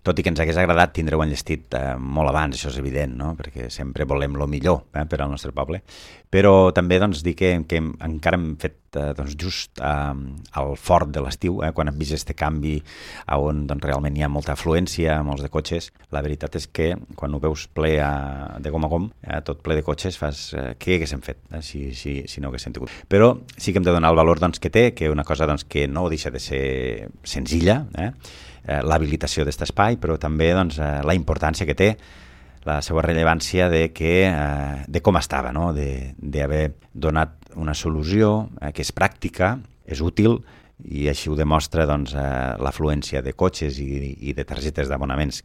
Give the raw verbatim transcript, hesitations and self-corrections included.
tot i que ens hagués agradat tindre-ho enllestit eh, molt abans, això és evident, no? Perquè sempre volem el millor eh, per al nostre poble, però també doncs, dir que, que encara hem fet eh, doncs, just eh, al fort de l'estiu, eh, quan hem vist aquest canvi on doncs, realment hi ha molta afluència, molts de cotxes. La veritat és que quan ho veus ple a, de gom a gom, eh, tot ple de cotxes, fas eh, què haguéssim fet eh, si, si, si no haguéssim tingut. Però sí que hem de donar el valor doncs, que té, que una cosa doncs, que no deixa de ser senzilla, eh, eh, l'habilitació d'aquest espai, però també doncs, eh, la importància que té, la seva rellevància de, que, eh, de com estava, no? d'haver donat una solució eh, que és pràctica, és útil, i així ho demostra doncs, eh, l'afluència de cotxes i, i de targetes d'abonaments